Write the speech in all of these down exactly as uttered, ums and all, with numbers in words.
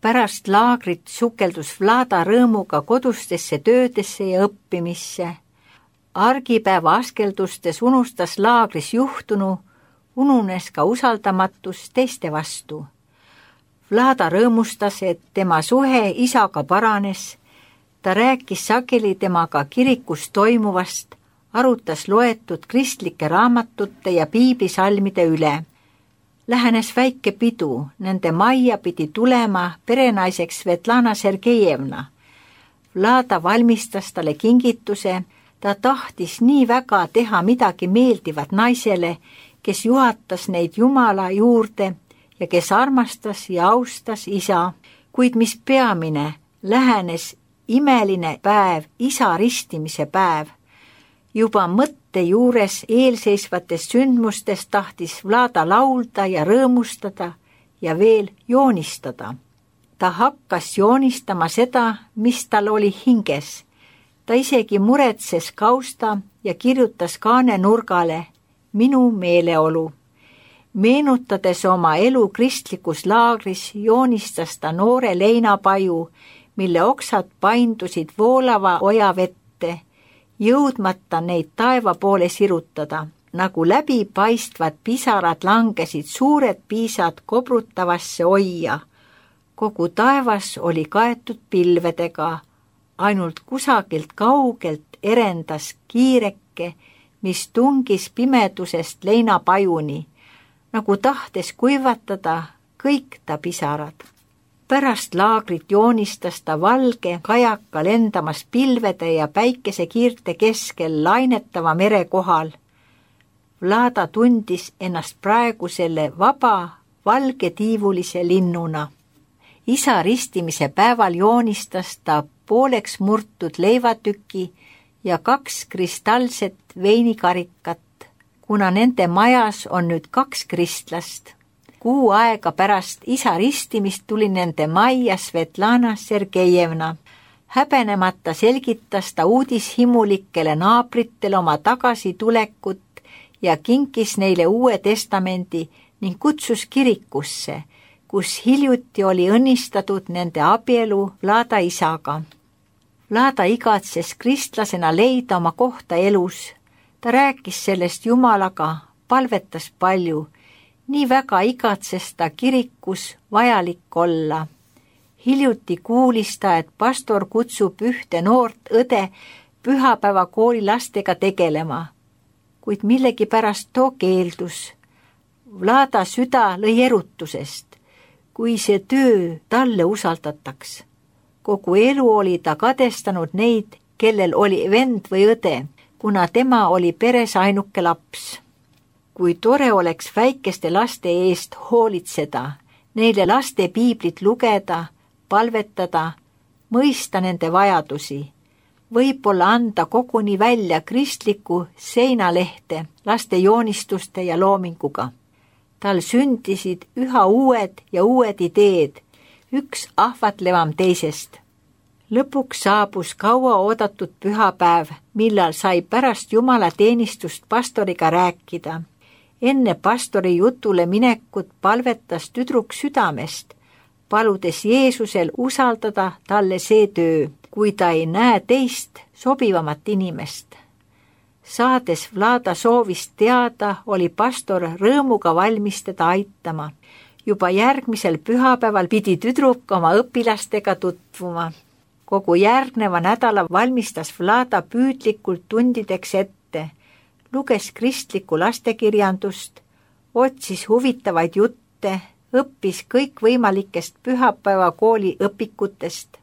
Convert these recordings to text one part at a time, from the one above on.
Pärast laagrit sukeldus Vlada rõõmuga kodustesse töödesse ja õppimisse. Argipäeva askeldustes unustas laagris juhtunu, ununes ka usaldamatus teiste vastu. Vlada rõõmustas, et tema suhe isaga paranes. Ta rääkis sageli temaga kirikus toimuvast, arutas loetud kristlike raamatute ja piiblisalmide üle. Lähenes väike pidu, nende majja pidi tulema perenaiseks Svetlana Sergejevna. Vlada valmistas talle kingituse, ta tahtis nii väga teha midagi meeldivat naisele, kes juhatas neid Jumala juurde ja kes armastas ja austas isa, kuid mis peamine, lähenes imeline päev, isa ristimise päev. Juba mõtte juures eelseisvatest sündmustest tahtis Vlada laulda ja rõõmustada ja veel joonistada. Ta hakkas joonistama seda, mis tal oli hinges. Ta isegi muretses kausta ja kirjutas kaanenurgale minu meeleolu. Meenutades oma elu kristlikus laagris, joonistas ta noore leinapaju, mille oksad paindusid voolava oja vette, jõudmata neid taeva poole sirutada, nagu läbipaistvad pisarad langesid suured piisad kobrutavasse oia. Kogu taevas oli kaetud pilvedega, ainult kusagilt kaugelt erendas kiireke, mis tungis pimedusest leinapajuni, nagu tahtes kuivatada kõik ta pisarad. Pärast laagrit joonistas ta valge kajaka lendamas pilvede ja päikesekiirte keskel lainetava mere kohal. Vlada tundis ennast praegu selle vaba, valgetiivulise linnuna. Isa ristimise päeval joonistas ta pooleks murtud leivatüki ja kaks kristallset veinikarikat, kuna nende majas on nüüd kaks kristlast. Kuu aega pärast isa ristimist tuli nende majja Svetlana Sergejevna. Häbenemata selgitas ta uudishimulikele naabritele oma tagasitulekut ja kinkis neile Uue Testamendi ning kutsus kirikusse, kus hiljuti oli õnnistatud nende abielu Vlada isaga. Vlada igatses kristlasena leida oma kohta elus. Ta rääkis sellest Jumalaga, palvetas palju. Nii väga igatses ta kirikus vajalik olla. Hiljuti kuulis ta, et pastor kutsub ühte noort õde pühapäeva kooli lastega tegelema, kuid millegipärast too keeldus. Vlada süda lõi erutusest, kui see töö talle usaldataks. Kogu elu oli ta kadestanud neid, kellel oli vend või õde, kuna tema oli peres ainuke laps. Kui tore oleks väikeste laste eest hoolitseda, neile laste piiblit lugeda, palvetada, mõista nende vajadusi, võib-olla anda koguni välja kristliku seinalehte laste joonistuste ja loominguga. Tal sündisid üha uued ja uued ideed, üks ahvatlevam teisest. Lõpuks saabus kaua oodatud pühapäev, millal sai pärast Jumala teenistust pastoriga rääkida. Enne pastori jutule minekut palvetas tüdruk südamest, paludes Jeesusel usaldada talle see töö, kui ta ei näe teist sobivamat inimest. Saades Vlada soovist teada, oli pastor rõõmuga valmis teda aitama. Juba järgmisel pühapäeval pidi tüdruk oma õpilastega tutvuma. Kogu järgneva nädala valmistas Vlada püüdlikult tundideks ette, luges kristlikku lastekirjandust, otsis huvitavaid jutte, õppis kõikvõimalikest pühapäeva kooli õpikutest.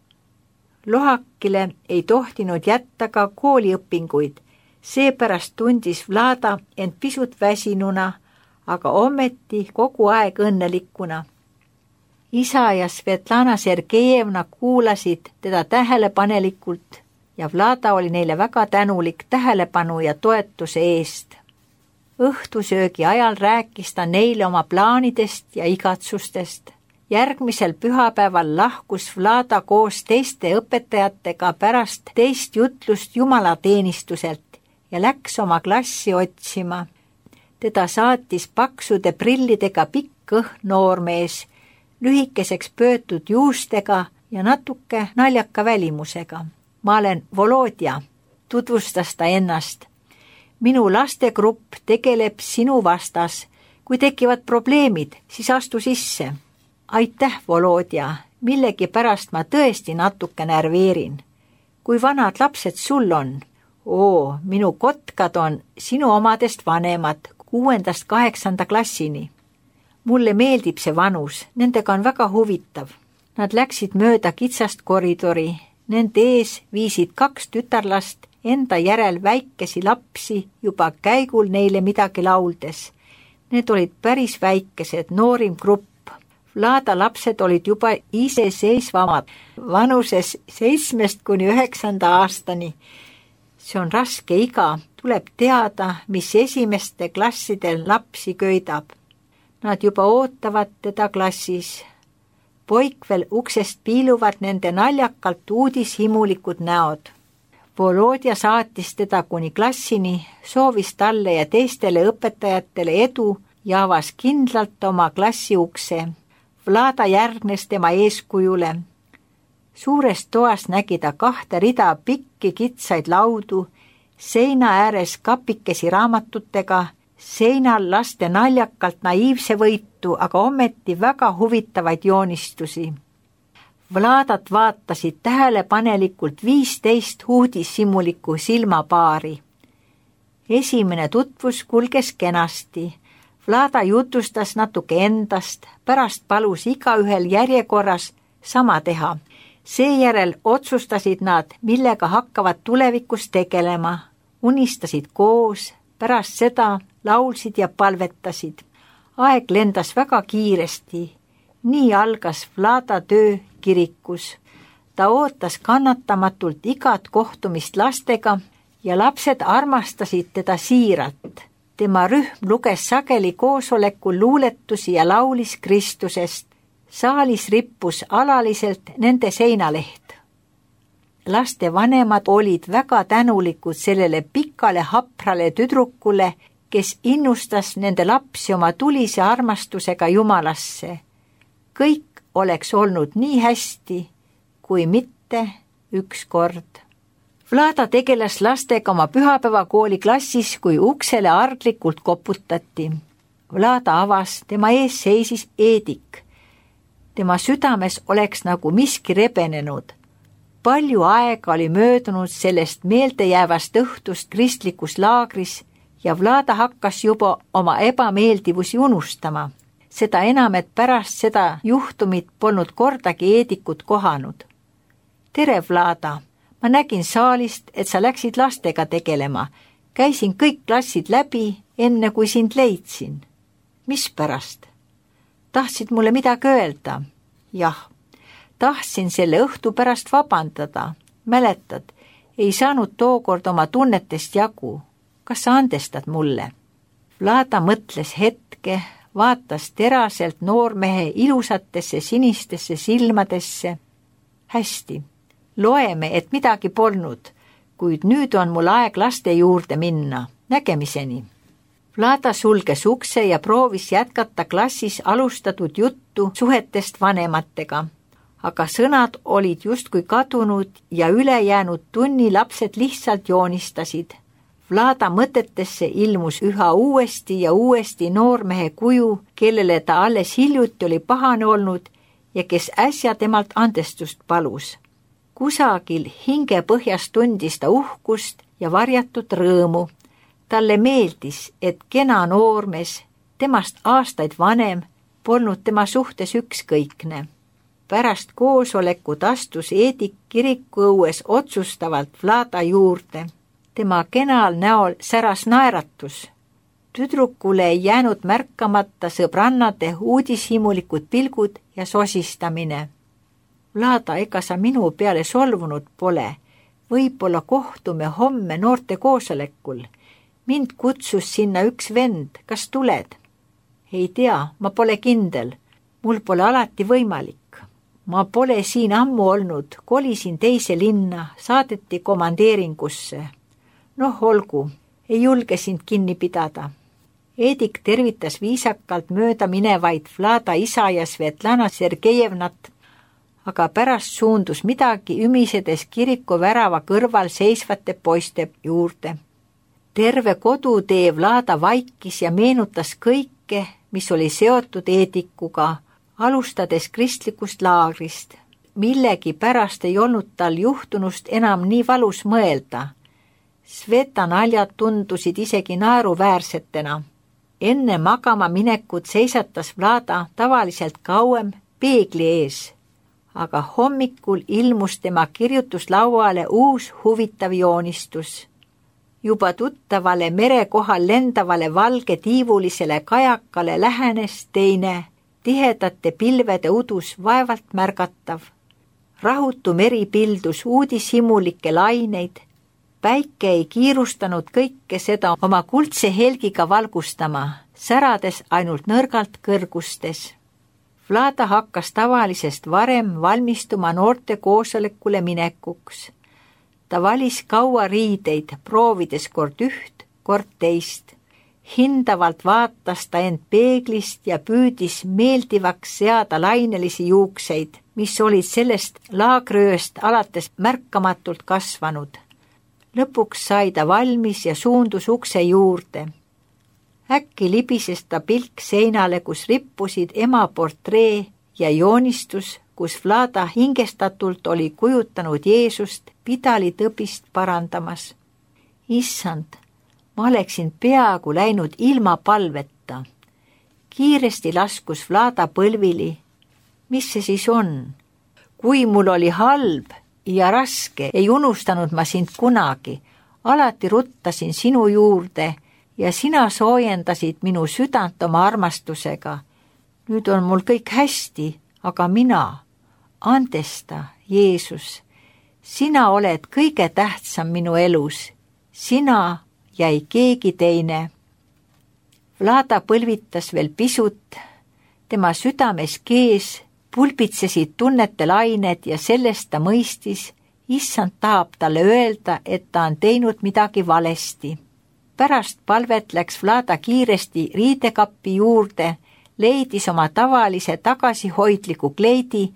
Lohakile ei tohtinud jätta ka kooliõpinguid, seepärast tundis Vlada end pisut väsinuna, aga ometi kogu aeg õnnelikuna. Isa ja Svetlana Sergejevna kuulasid teda tähelepanelikult ja Vlada oli neile väga tänulik tähelepanu ja toetuse eest. Õhtusöögi ajal rääkis ta neile oma plaanidest ja igatsustest. Järgmisel pühapäeval lahkus Vlada koos teiste õpetajatega pärast teist jutlust jumalateenistuselt ja läks oma klassi otsima. Teda saatis paksude prillidega pikk õhn noormees, lühikeseks pöötud juustega ja natuke naljaka välimusega. Ma olen Volodja, tutvustas ta ennast. Minu lastegrupp tegeleb sinu vastas. Kui tekivad probleemid, siis astu sisse. Aitäh, Volodja, millegi pärast ma tõesti natuke närveerin. Kui vanad lapsed sul on? Oo, minu kotkad on sinu omadest vanemad, kuuendast kaheksanda klassini. Mulle meeldib see vanus, nendega on väga huvitav. Nad läksid mööda kitsast koridori, nende ees viisid kaks tütarlast enda järel väikesi lapsi juba käigul neile midagi lauldes. Need olid päris väikesed, noorim grupp. Vlada lapsed olid juba iseseisvamad, vanuses seitsmest kuni üheksanda aastani. See on raske iga, tuleb teada, mis esimeste klassidel lapsi köidab. Nad juba ootavad teda klassis. Poik veel uksest piiluvad nende naljakalt uudishimulikud näod. Volodja saatis teda kuni klassini, soovis talle ja teistele õpetajatele edu ja avas kindlalt oma klassi ukse. Vlada järgnes tema eeskujule. Suures toas nägi ta kahte rida pikki kitsaid laudu, seina ääres kapikesi raamatutega, seinal laste naljakalt naiivse võitu, aga ometi väga huvitavaid joonistusi. Vladat vaatasid tähelepanelikult viisteist uudishimulikku silmapaari. Esimene tutvus kulges kenasti. Vlada jutustas natuke endast, pärast palus igaühel järjekorras sama teha. Seejärel otsustasid nad, millega hakkavad tulevikus tegelema. Unistasid koos, pärast seda laulsid ja palvetasid. Aeg lendas väga kiiresti. Nii algas Vlada töö kirikus. Ta ootas kannatamatult igat kohtumist lastega ja lapsed armastasid teda siiralt. Tema rühm luges sageli koosolekul luuletusi ja laulis Kristusest. Saalis rippus alaliselt nende seinaleht. Laste vanemad olid väga tänulikud sellele pikale haprale tüdrukule, kes innustas nende lapsi oma tulise armastusega Jumalasse. Kõik oleks olnud nii hästi, kui mitte ükskord. Vlada tegeles lastega oma pühapäevakooli klassis, kui uksele arglikult koputati. Vlada avas, tema ees seisis Eedik. Tema südames oleks nagu miski rebenenud. Palju aega oli möödunud sellest meeldejäävast õhtust kristlikus laagris ja Vlada hakkas juba oma ebameeldivusi unustama. Seda enam, et pärast seda juhtumit polnud kordagi Eedikut kohanud. Tere, Vlada! Ma nägin saalist, et sa läksid lastega tegelema. Käisin kõik klassid läbi, enne kui sind leidsin. Mis pärast? Tahtsid mulle midagi öelda? Jah, tahtsin selle õhtu pärast vabandada. Mäletad, ei saanud tookord oma tunnetest jagu. Kas sa andestad mulle? Vlada mõtles hetke, vaatas teraselt noormehe ilusatesse sinistesse silmadesse. Hästi. Loeme, et midagi polnud, kuid nüüd on mul aeg laste juurde minna. Nägemiseni. Vlada sulges ukse ja proovis jätkata klassis alustatud juttu suhetest vanematega, aga sõnad olid justkui kadunud ja ülejäänud tunni lapsed lihtsalt joonistasid. Vlada mõtetesse ilmus üha uuesti ja uuesti noormehe kuju, kellele ta alles hiljuti oli pahane olnud ja kes äsja temalt andestust palus. Kusagil hingepõhjas tundis ta uhkust ja varjatud rõõmu. Talle meeldis, et kena noormees, temast aastaid vanem, polnud tema suhtes ükskõikne. Pärast koosolekut astus Eedik kirikuõues otsustavalt Vlada juurde. Tema kenal näol säras naeratus. Tüdrukule ei jäänud märkamata sõbrannade uudishimulikud pilgud ja sosistamine. Vlada, ega sa minu peale solvunud pole. Võib-olla kohtume homme noorte koosolekul. Mind kutsus sinna üks vend. Kas tuled? Ei tea, ma pole kindel. Mul pole alati võimalik. Ma pole siin ammu olnud. Kolisin teise linna. Saadeti komandeeringusse. Noh, olgu. Ei julge sind kinni pidada. Eedik tervitas viisakalt mööda minevaid Vlada isa ja Svetlana Sergejevnat, aga pärast suundus midagi ümisedes kiriku värava kõrval seisvate poiste juurde. Terve kodutee Vlada vaikis ja meenutas kõike, mis oli seotud Eedikuga, alustades kristlikust laagrist. Millegi pärast ei olnud tal juhtunust enam nii valus mõelda. Sveta naljad tundusid isegi naeruväärsetena. Enne magama minekut seisatas Vlada tavaliselt kauem peegli ees, aga hommikul ilmus tema kirjutuslauale uus huvitav joonistus. Juba tuttavale merekohal lendavale valge tiivulisele kajakale lähenes teine, tihedate pilvede udus vaevalt märgatav. Rahutu meri pildus uudishimulikke laineid, päike ei kiirustanud kõike seda oma kuldse helgiga valgustama, särades ainult nõrgalt kõrgustes. Vlada hakkas tavalisest varem valmistuma noorte koosolekule minekuks. Ta valis kaua riideid, proovides kord üht, kord teist. Hindavalt vaatas ta end peeglist ja püüdis meeldivaks seada lainelisi juukseid, mis olid sellest laagriööst alates märkamatult kasvanud. Lõpuks sai ta valmis ja suundus ukse juurde. Äkki libises ta pilk seinale, kus rippusid ema portree ja joonistus, kus Vlada hingestatult oli kujutanud Jeesust pidalitõbist parandamas. Issand, ma oleksin peaaegu läinud ilma palveta. Kiiresti laskus Vlada põlvili. Mis see siis on? Kui mul oli halb ja raske, ei unustanud ma sind kunagi. Alati ruttasin sinu juurde ja sina soojendasid minu südant oma armastusega. Nüüd on mul kõik hästi, aga mina, andesta, Jeesus, sina oled kõige tähtsam minu elus, sina ja ei keegi teine. Vlada põlvitas veel pisut, tema südames kees pulbitsesid tunnete lained ja sellest ta mõistis, issand tahab talle öelda, et ta on teinud midagi valesti. Pärast palvet läks Vlada kiiresti riidekappi juurde, leidis oma tavalise tagasihoidliku kleidi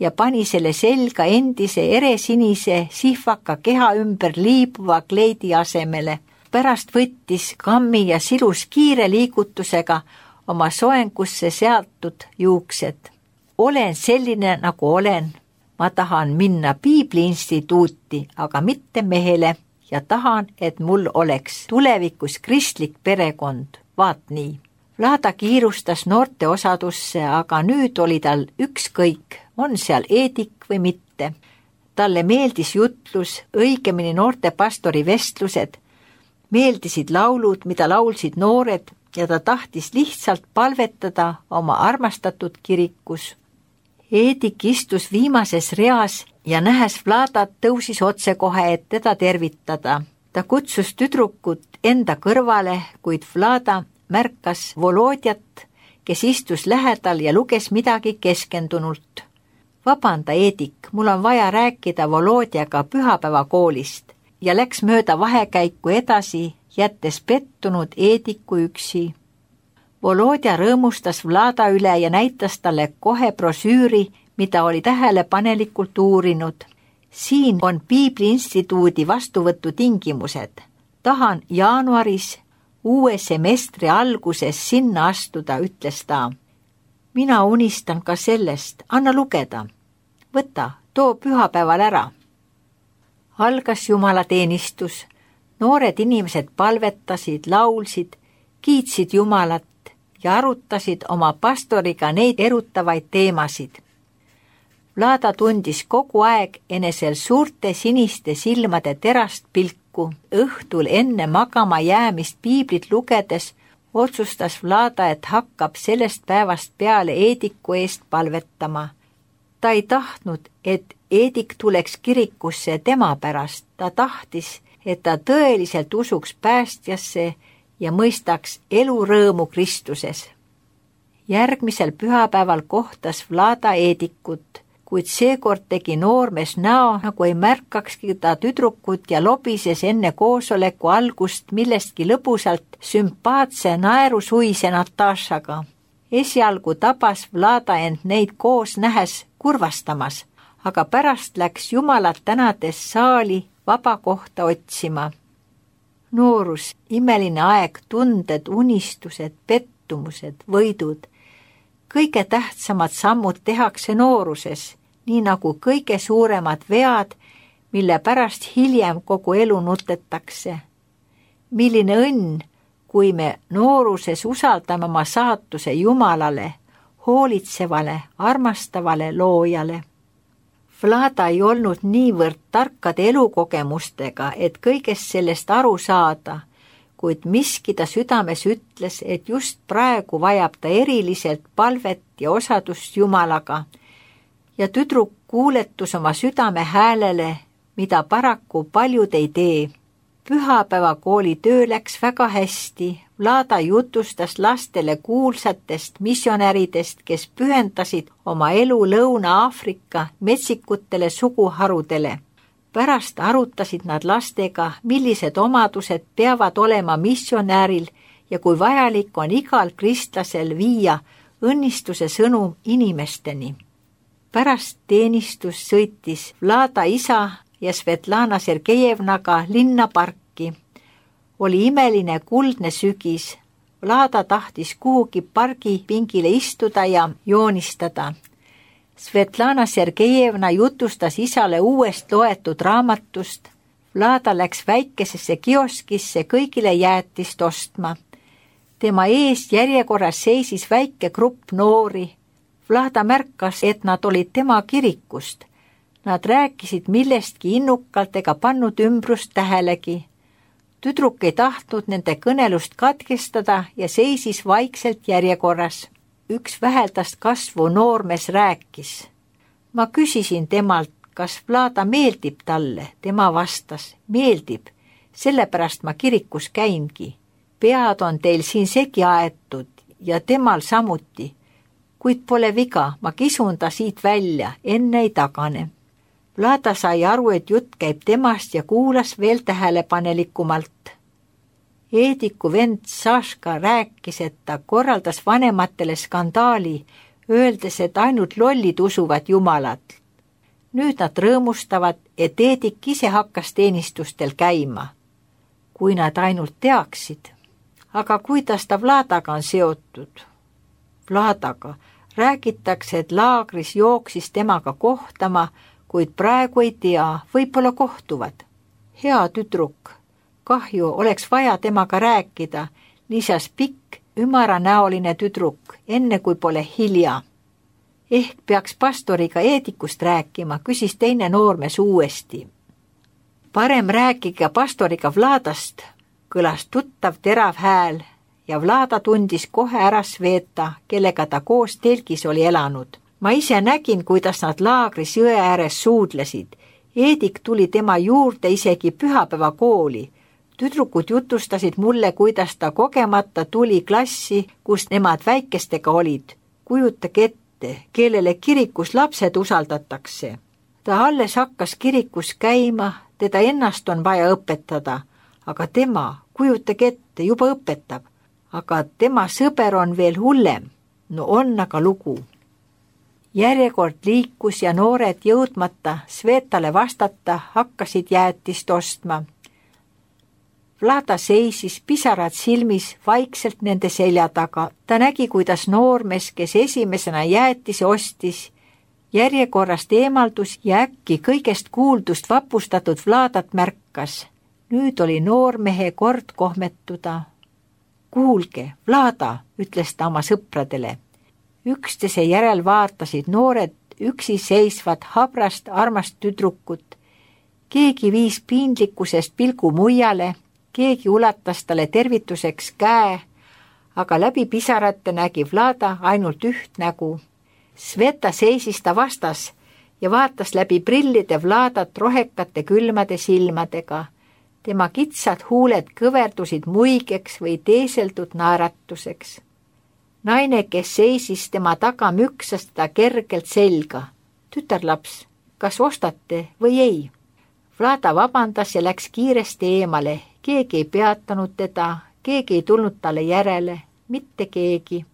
ja pani selle selga endise eresinise sihvaka keha ümber liibuva kleidi asemele. Pärast võttis kammi ja silus kiire liigutusega oma soengusse seatud juuksed. Olen selline, nagu olen. Ma tahan minna Piibliinstituuti, aga mitte mehele ja tahan, et mul oleks tulevikus kristlik perekond. Vaat nii. Vlada kiirustas noorte osadusse, aga nüüd oli tal ükskõik, on seal Eedik või mitte. Talle meeldis jutlus, õigemini noorte pastori vestlused, meeldisid laulud, mida laulsid noored ja ta tahtis lihtsalt palvetada oma armastatud kirikus. Eedik istus viimases reas ja nähes Vladat tõusis otsekohe, et teda tervitada. Ta kutsus tüdrukut enda kõrvale, kuid Vlada märkas Volodjat, kes istus lähedal ja luges midagi keskendunult. Vabanda, Eedik, mul on vaja rääkida Volodjaga pühapäevakoolist ja läks mööda vahekäiku edasi, jättes pettunud Eediku üksi. Volodja rõõmustas Vlada üle ja näitas talle kohe brosüüri, mida oli tähelepanelikult uurinud. Siin on Piibliinstituudi vastuvõtu tingimused. Tahan jaanuaris uue semestri alguses sinna astuda, ütles ta. Mina unistan ka sellest, anna lugeda. Võta, too pühapäeval ära. Algas jumalateenistus. Noored inimesed palvetasid, laulsid, kiitsid Jumalat ja arutasid oma pastoriga neid erutavaid teemasid. Vlada tundis kogu aeg enesel suurte siniste silmade terast pilku. Õhtul enne magama jäämist piiblit lugedes otsustas Vlada, et hakkab sellest päevast peale Eediku eest palvetama. Ta ei tahtnud, et Eedik tuleks kirikusse tema pärast. Ta tahtis, et ta tõeliselt usuks päästjasse ja mõistaks elurõõmu Kristuses. Järgmisel pühapäeval kohtas Vlada Eedikut. kuid seekord tegi noormees näo, nagu ei märkakski ta tüdrukut ja lobises enne koosoleku algust millestki lõbusalt sümpaatse naerusuise Natašaga. Esialgu tabas Vlada end neid koos nähes kurvastamas, aga pärast läks Jumalat tänades saali vaba kohta otsima. Noorus, imeline aeg, tunded, unistused, pettumused, võidud. Kõige tähtsamad sammud tehakse nooruses, nii nagu kõige suuremad vead, mille pärast hiljem kogu elu nutetakse. Milline õnn, kui me nooruses usaldame oma saatuse Jumalale, hoolitsevale, armastavale loojale. Vlada ei olnud niivõrd tarkade elukogemustega, et kõigest sellest aru saada, kuid miski ta südames ütles, et just praegu vajab ta eriliselt palvet ja osadust Jumalaga, ja tüdruk kuuletus oma südame häälele, mida paraku paljud ei tee. Pühapäevakooli töö läks väga hästi. Vlada jutustas lastele kuulsatest missionäridest, kes pühendasid oma elu Lõuna-Aafrika metsikutele suguharudele. Pärast arutasid nad lastega, millised omadused peavad olema missionäril ja kui vajalik on igal kristlasel viia õnnistuse sõnum inimesteni. Pärast teenistus sõitis Vlada isa ja Svetlana Sergejevnaga linnaparki. Oli imeline kuldne sügis. Vlada tahtis kuhugi pargipingile istuda ja joonistada. Svetlana Sergejevna jutustas isale uuest loetud raamatust. Vlada läks väikesesse kioskisse kõigile jäätist ostma. Tema ees järjekorras seisis väike grupp noori. Vlada märkas, et nad olid tema kirikust. Nad rääkisid millestki innukalt ega pannud ümbrust tähelegi. Tüdruk ei tahtnud nende kõnelust katkestada ja seisis vaikselt järjekorras. Üks väheldast kasvu noormees rääkis. Ma küsisin temalt, kas Vlada meeldib talle. Tema vastas, meeldib, sellepärast ma kirikus käingi. Pead on teil siin segi aetud ja temal samuti. Kuid pole viga, ma kisun ta siit välja, enne ei tagane. Vlada sai aru, et jutt käib temast ja kuulas veel tähelepanelikumalt. Eediku vend Saška rääkis, et ta korraldas vanematele skandaali, öeldes, et ainult lollid usuvad Jumalat. Nüüd nad rõõmustavad, et Eedik ise hakkas teenistustel käima. Kui nad ainult teaksid. Aga kuidas ta Vladaga on seotud? Vladaga räägitakse, et laagris jooksis temaga kohtama, kuid praegu ei tea, võib-olla kohtuvad. Hea tüdruk, kahju oleks vaja temaga rääkida, lisas pikk, ümaranäoline tüdruk, enne kui pole hilja. Ehk peaks pastoriga Eedikust rääkima, küsis teine noormees uuesti. Parem rääkige pastoriga Vladast, kõlas tuttav terav hääl ja Vlada tundis kohe ära Sveta, kellega ta koos telgis oli elanud. Ma ise nägin, kuidas nad laagris jõe ääres suudlesid. Eedik tuli tema juurde isegi pühapäevakooli. Tüdrukud jutustasid mulle, kuidas ta kogemata tuli klassi, kus nemad väikestega olid. Kujutage ette, kellele kirikus lapsed usaldatakse. Ta alles hakkas kirikus käima, teda ennast on vaja õpetada, aga tema, kujutage ette, juba õpetab. Aga tema sõber on veel hullem. No on aga lugu. Järjekord liikus ja noored jõudmata Svetale vastata hakkasid jäätist ostma. Vlada seisis pisarad silmis vaikselt nende selja taga. Ta nägi, kuidas noormees, kes esimesena jäätise ostis, järjekorrast eemaldus ja äkki kõigest kuuldust vapustatud Vladat märkas. Nüüd oli noormehe kord kohmetuda. Kuulge, Vlada, ütles ta oma sõpradele. Üksteise järel vaatasid noored üksi seisvad habrast armast tüdrukut. Keegi viis piinlikkusest pilgu muiale, keegi ulatas talle tervituseks käe, aga läbi pisarate nägi Vlada ainult üht nägu. Sveta seisis ta vastas ja vaatas läbi prillide Vladat rohekate külmade silmadega. Tema kitsad huuled kõverdusid muigeks või teeseldud naeratuseks. Naine, kes seisis tema taga, müksas teda kergelt selga. tütarlaps, kas ostate või ei? Vlada vabandas ja läks kiiresti eemale, keegi ei peatanud teda, keegi ei tulnud talle järele, mitte keegi.